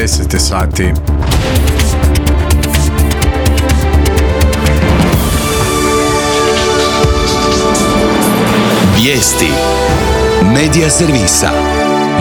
10 sati. Vijesti Medija servisa.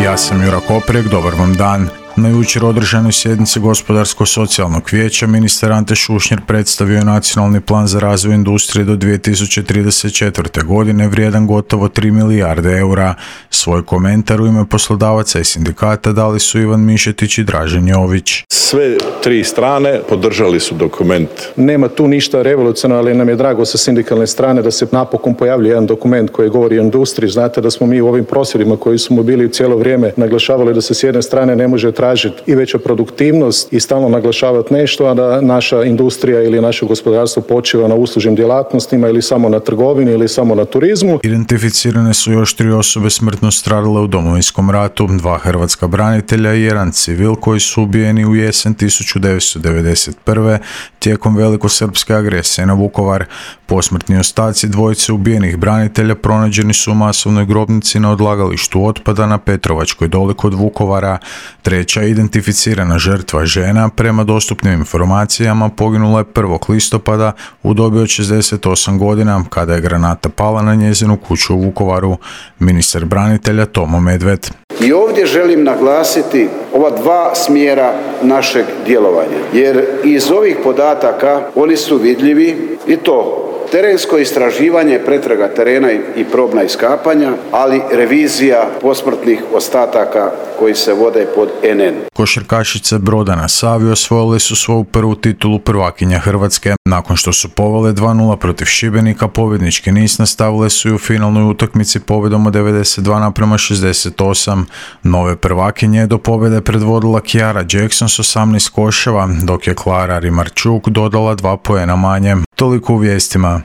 Ja sam Jura Koprek, dobar vam dan. Na jučer održanoj sjednici Gospodarsko-socijalnog vijeća ministar Ante Šušnjar predstavio je nacionalni plan za razvoj industrije do 2034. godine vrijedan gotovo 3 milijarde eura. Svoj komentar u ime poslodavaca i sindikata dali su Ivan Mišetić i Dražen Jović. Sve tri strane podržali su dokument. Nema tu ništa revolucionarno, ali nam je drago sa sindikalne strane da se napokon pojavlja jedan dokument koji govori o industriji. Znate da smo mi u ovim prosvjedima koji smo bili cijelo vrijeme naglašavali da se s jedne strane ne može tražiti i veća produktivnost i stalno naglašavati nešto, a da naša industrija ili naše gospodarstvo počiva na uslužnim djelatnostima ili samo na trgovini ili samo na turizmu. Identificirane su još 3 osobe smrtno stradale u Domovinskom ratu, 2 hrvatska branitelja i 1 civil koji su ubijeni u jesen 1991. tijekom velikosrpske agresije na Vukovar. Posmrtni ostaci dvojice ubijenih branitelja pronađeni su u masovnoj grobnici na odlagalištu otpada na Petrovačkoj doli kod Vukovara. Treća identificirana žrtva, žena, prema dostupnim informacijama poginula je 1. listopada u dobi od 68 godina kada je granata pala na njezinu kuću u Vukovaru. Ministar branitelja Tomo Medved. I ovdje želim naglasiti ova dva smjera našeg djelovanja, jer iz ovih podataka oni su vidljivi i to terensko istraživanje, pretraga terena i probna iskapanja, ali revizija posmrtnih ostataka koji se vode pod NN. Košarkašice Broda na Savi osvojile su svoju prvu titulu prvakinja Hrvatske. Nakon što su povele 2-0 protiv Šibenika, pobjednički niz nastavile su i u finalnoj utakmici pobjedom od 92:68. Nove prvakinje je do pobjede predvodila Kiara Jackson s 18 koševa, dok je Klara Rimarčuk dodala 2 poena manje. Toliko u vijestima.